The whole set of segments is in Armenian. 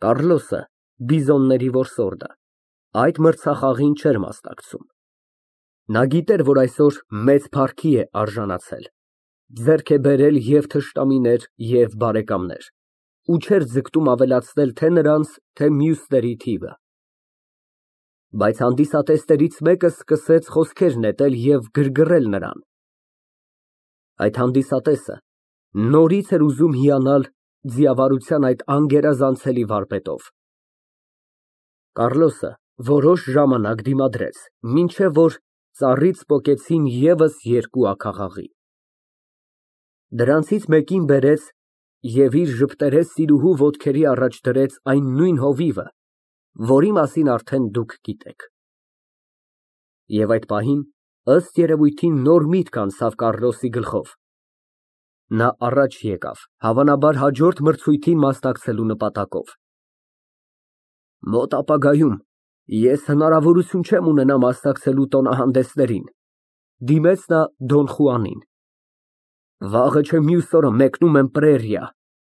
Կառլոսը, բիզոնների որսորդը, այդ մրցախաղին չէր մասնակցում։ Նա գիտեր, որ այսօր մեծ փառքի է արժանացել, ձեռք է բերել և թշնամիներ, և բարեկամներ, ու չէր ձգտում ավելացնել թե նրանց, թե մյուսների թիվը։ Բայց հանդիսատեսներից մեկը սկսեց խոսքեր նետել և գրգռել նրան։ Այդ հանդիսատեսը նորից էր ուզում հիանալ ձիավարության այդ անգերազանցելի վարպետով։ Կառլոսը որոշ ժամանակ դիմադրեց, մինչև որ ծառից պոկեցին ևս երկու աքաղաղի։ Դրանցից մեկին բերեց և իր ժպտերես սիրուհու ոտքերի առաջ դրեց այն նույն հովիվը, որի մասին արդեն դուք գիտեք։ Եվ այդ պահին, ըստ երևույթին, նոր միտք անցավ Կառլոսի գլխով։ Նա առաջ եկավ, հավանաբար հաջորդ մրցույթին մասնակցելու նպատակով։ Մոտ ապագայում ես հնարավորություն չեմ ունենա մասնակցելու տոնահանդեսներին, դիմեց նա Դոն Խուանին։ Վաղը չէ մյուս օրը մեկնում եմ պրերիա,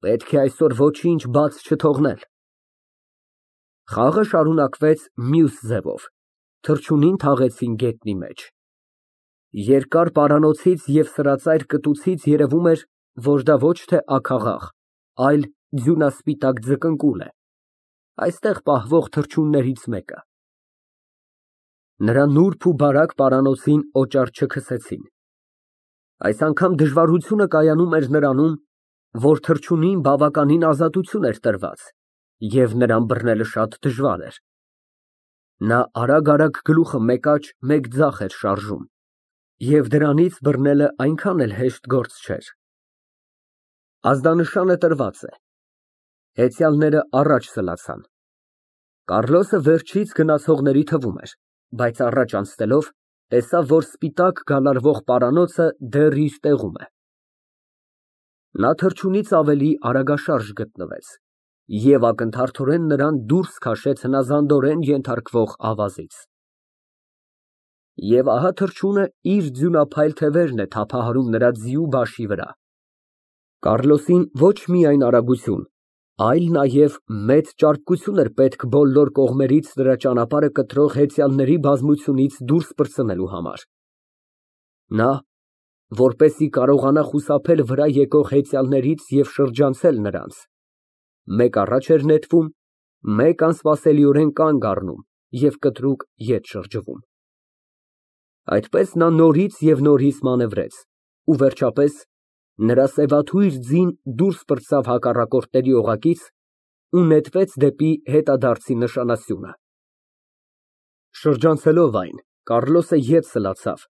պետք է այսօր ոչինչ բաց չթողնել։ Խաղը շարունակվեց մյուս ձևով, թռչունին թաղեցին գետնի մեջ։ Երկար պարանոցից և սրածայր կտուցից երևում էր, որ դա ոչ թե աքաղաղ, այլ ձյունասպիտակ ձկնկուլ է, այստեղ պահվող թռչուններից մեկը։ Նրա նուրբ ու բարակ պարանոցին օճառ չքսեցին։ Այս անգամ դժվարությունը կայանում էր նրանում, որ թռչունին բավականին ազատություն էր տրված, և նրան բռնելը շատ դժվար էր։ Նա արագ գլուխը մեկ աջ, մեկ ձախ էր շարժում, և դրանից բռնելը այնքան էլ հեշտ գործ չէր։ Ազդանշանը տրված է։ Հեծյալները առաջ սլացան։ Կառլոսը վերջից գնացողների թվում էր, բայց առաջ անցնելով, տեսավ, որ սպիտակ գալարվող պարանոցը դեռ իր տեղում է։ Նա թռչունից ավելի արագաշարժ գտնվեց և ակնթարթորեն նրան դուրս քաշեց հնազանդորեն ենթարկվող ավազից։ Եվ ահա թռչունը իր ձյունափայլ թևերն է թափահարում նրա ձիու բաշի վրա։ Կառլոսին ոչ միայն արագություն, այլ նաև մեծ ճարպկություն էր պետք բոլոր կողմերից նրա ճանապարհը կտրող հեծյալների բազմությունից դուրս պրծնելու համար։ Նա, որպեսզի կարողանա խուսափել վրա եկող հեծյալներից և շրջանցել նրանց, մեկ առաջ էր նետվում, մեկ անսպասելիորեն կանգ առնում և կտրուկ ետ շրջվում։ Այդպես նա նորից և նորից մանևրեց, ու վերջապես նրա սևաթույր ձին դուրս պրծավ հակառակորդների օղակից ու նետվեց դեպի հետադարձի նշանասյունը։ Շրջանցելով այն, Կառլոսը ետ սլացավ,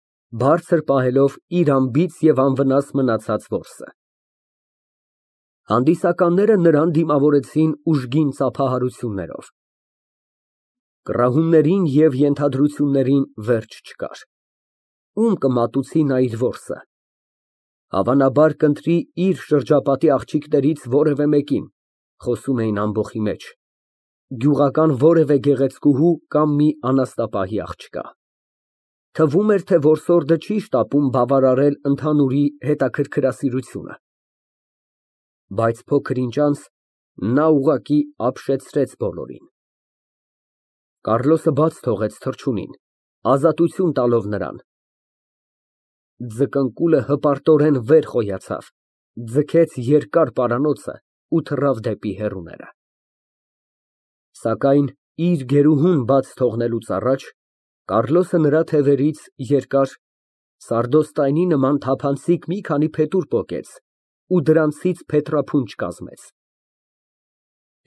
բարձր պահելով իր անբիծ և անվնաս մնացած որսը։ Հանդիսականները նրան դիմավորեցին ուժգին ծափահարություններով։ Կռահումներին և ենթադրություններին վերջ չկար։ Ում կմատուցի նա իր որսը։ Հավանաբար կընտրի իր շրջապատի աղջիկներից որևէ մեկին, խոսում էին ամբոխի մեջ, գյուղական որևէ գեղեցկուհու կամ մի անասնապահի աղջկա։ Թվում էր, թե որսորդը չի շտապում բավարարել ընդհանուրի հետաքրքրասիրությունը։ Բայց փոքր ինչ անց նա ուղղակի ապշեցրեց բոլորին։ Կառլոսը բաց թողեց թռչունին, ազատություն տալով նրան։ Ձկնկուլը հպարտորեն վեր խոյացավ, ձգեց երկար պարանոցը ու թռավ դեպի հեռուները։ Սակայն իր գերուհուն բաց թողնելուց առաջ Կառլոսը նրա թևերից երկար, սարդոստայնի նման թափանցիկ մի քանի փետուր պոկեց ու դրանցից փետրափունջ կազմեց։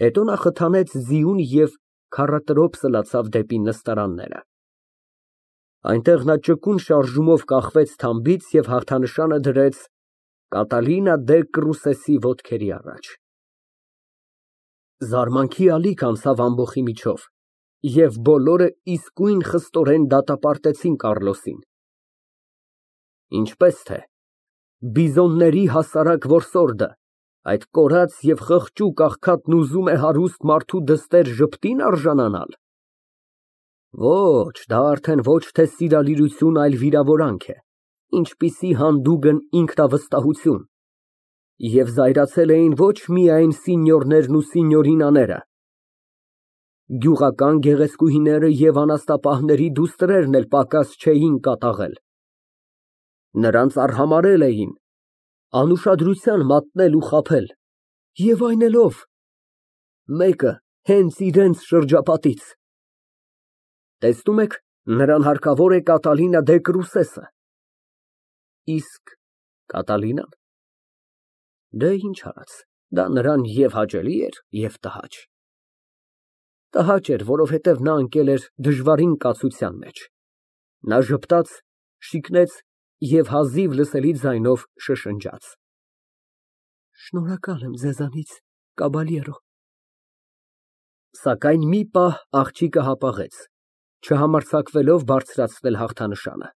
Հետո նա խթանեց ձիուն և քառատրոփ սլացավ դեպի նստարանները։ Այնտեղ նա ճկուն շարժումով կախվեց թամբից և հաղթանշանը դրեց Կատալինա դե Կռուսեսի ոտքերի առաջ։ Զարմանքի ալիք անցավ ամբոխի միջով, և բոլորը իսկույն խստորեն դատապարտեցին Կառլոսին։ Ինչպես թե բիզոնների հասարակ որսորդը, այդ կորած և խղճուկ աղքատն ուզում է հարուստ մարդու դստեր ժպտի՞ն արժանանալ։ Ոչ, դա արդեն ոչ թե սիրալիրություն, այլ վիրավորանք է, ինչպիսի հանդուգն ինքնավստահություն։ Եվ զայրացել էին ոչ միայն սինյորներն ու սինյորինաները, Գյուղական գեղեցկուհիները և անաստապահների դուստրերն էլ պակաս չէին կատաղել։ Նրանց արհամարհել էին, անուշադրության մատնել ու խաբել, և այն էլ ո՞վ։ Մեկը հենց իրենց շրջապատից։ Տեսնում եք, նրան հարկավոր է Կատալինա դե Կրուսեսը։ Իսկ Կատալինա՞ն։ Դե ինչ արած, դա նրան և հաճելի էր, և տհաճ։ Տհաճ էր, որովհետև նա ընկել էր դժվարին կացության մեջ։ Նա ժպտաց, շիկնեց և հազիվ լսելի ձայնով շշնջաց. Շնորհակալ եմ ձեզանից, կաբալյերո։ Սակայն մի պահ աղջիկը հապաղեց, չհամարձակվելով բարձրացնել հաղթանշանը։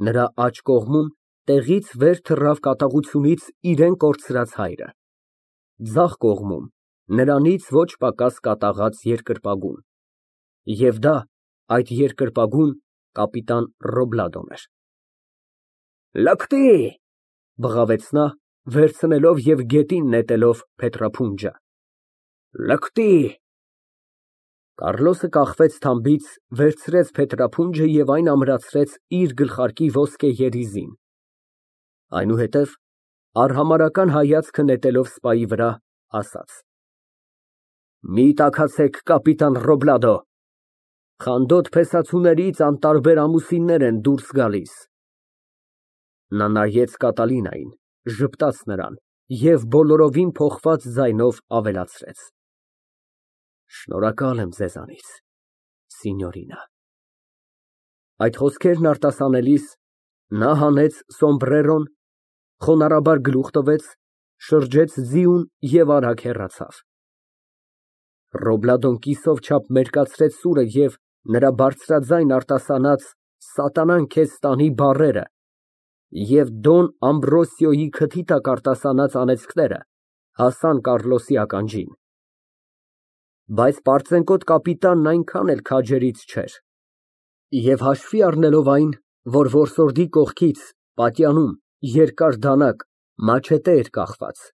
Նրա աջ կողմում տեղից վեր թռավ կատաղությունից իրան կորցրած հայրը, ձախ կողմում նրանից ոչ պակաս կատաղած երկրպագուն, և դա այդ երկրպագուն կապիտան Ռոբլադոն էր։ Լկտի, բղավեց նա, վերցնելով և գետին նետելով փետրափունջը։ Լկտի։ Կառլոսը կախվեց թամբից, վերցրեց փետրափունջը և այն ամրացրեց իր գլխարկի ոսկե երիզին, այնուհետև արհամարհական հայացքը նետելով սպայի վրա, ասաց. Մի տաքացեք, կապիտան Ռոբլադո, խանդոտ փեսացուներից անտարբեր ամուսիններ են դուրս գալիս։ Նա նայեց Կատալինային, ժպտաց նրան և բոլորովին փոխված ձայնով ավելացրեց. Շնորհակալ եմ ձեզանից, սինյորինա։ Այդ խոսքերն արտասանելիս նա հանեց սոմբրերոն, խոնարհաբար գլուխ տվեց, շրջեց ձիուն և արագ հեռացավ։ Ռոբլադոն կիսով չափ մերկացրեց սուրը և նրա բարձրաձայն արտասանած «սատանան քեզ տանի» բառերը և Դոն Ամբրոսիոյի քթի տակ արտասանած անեծքները հասան Կառլոսի ականջին։ Բայց պարծենկոտ կապիտանն այնքան էլ քաջերից չէր, և հաշվի առնելով այն, որ որսորդի կողքից, պատյանում, երկար դանակ, մաչետե էր կախված,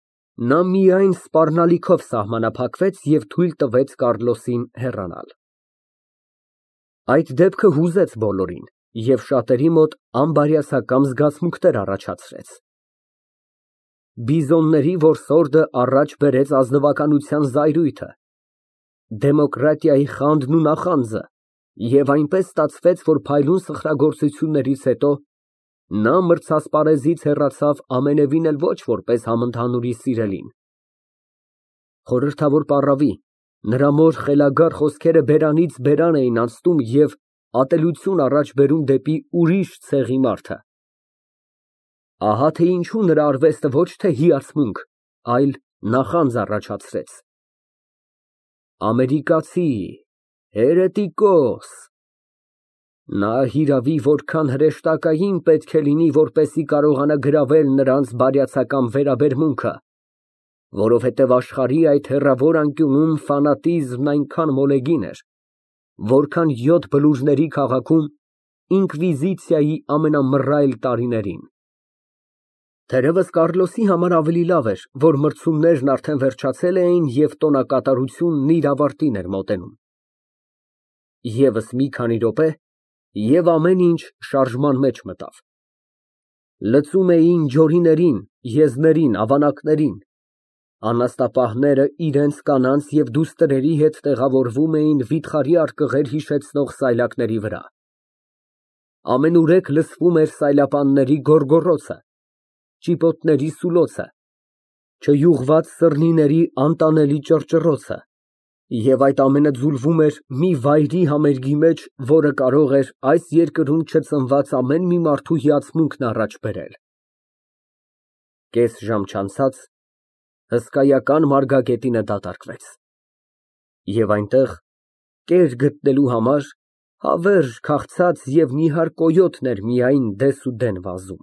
նա միայն սպառնալիքով սահմանափակվեց և թույլ տվեց Կառլոսին հեռանալ։ Այդ դեպքը հուզեց բոլորին և շատերի մոտ անբարյացակամ զգացմունքներ առաջացրեց։ Բիզոնների որսորդը առաջ բերեց ազնվականության զայրույթը, դեմոկրատիայի խանդն ու նախանձը, և այնպես ստացվեց, որ փայլուն սխրագործություններից հետո նա մրցասպարեզից հեռացավ ամենևին էլ ոչ որպես համընդհանուրի սիրելին։ Խորհրդավոր պառավի, նրա մոր խելագար խոսքերը բերանից բերան էին անցնում և ատելություն առաջ բերում դեպի ուրիշ ցեղի մարդը։ Ահա թե ինչու նրա արվեստը ոչ թե հիացմունք, այլ նախանձ առաջացրեց։ Ամերիկացի, հերետիկոս։ Նա հիրավի որքան հրեշտակային պետք է լինի, որպեսզի կարողանա գրավել նրանց բարյացակամ վերաբերմունքը, որովհետև աշխարհի այդ հեռավոր անկյունում ֆանատիզմն այնքան մոլեգին էր, որքան յոթ բլուրների քաղաքում ինկվիզիցիայի ամենամռայլ տարիներին։ Թերևս Կառլոսի համար ավելի լավ էր, որ մրցումներն արդեն վերջացել էին և տոնակատարությունն իր ավարտին էր մոտենում։ Եվս մի քանի րոպե, և ամեն ինչ շարժման մեջ մտավ։ Լծում էին ջորիներին, եզներին, ավանակներին, անաստապահները իրենց կանանց և դուստրերի հետ տեղավորվում էին վիթխարի արկղեր հիշեցնող սայլակների վրա։ Ամենուրեք լսվում էր սայլապանների գոռգոռոցը, ճիպոտների սուլոցը, չյուղված սըրնիների անտանելի ճռճռոցը, և այդ ամենը ձուլվում էր մի վայրի համերգի մեջ, որը կարող էր այս երկրում չծնված ամեն մի մարդու հիացմունքն առաջ բերել։ Կես ժամ չանցած հսկայական մարգագետինը դատարկվեց, և այնտեղ, կեր գտնելու համար, հավերժ քաղցած և նիհար կոյոտն էր միայն դեսուդեն վազում։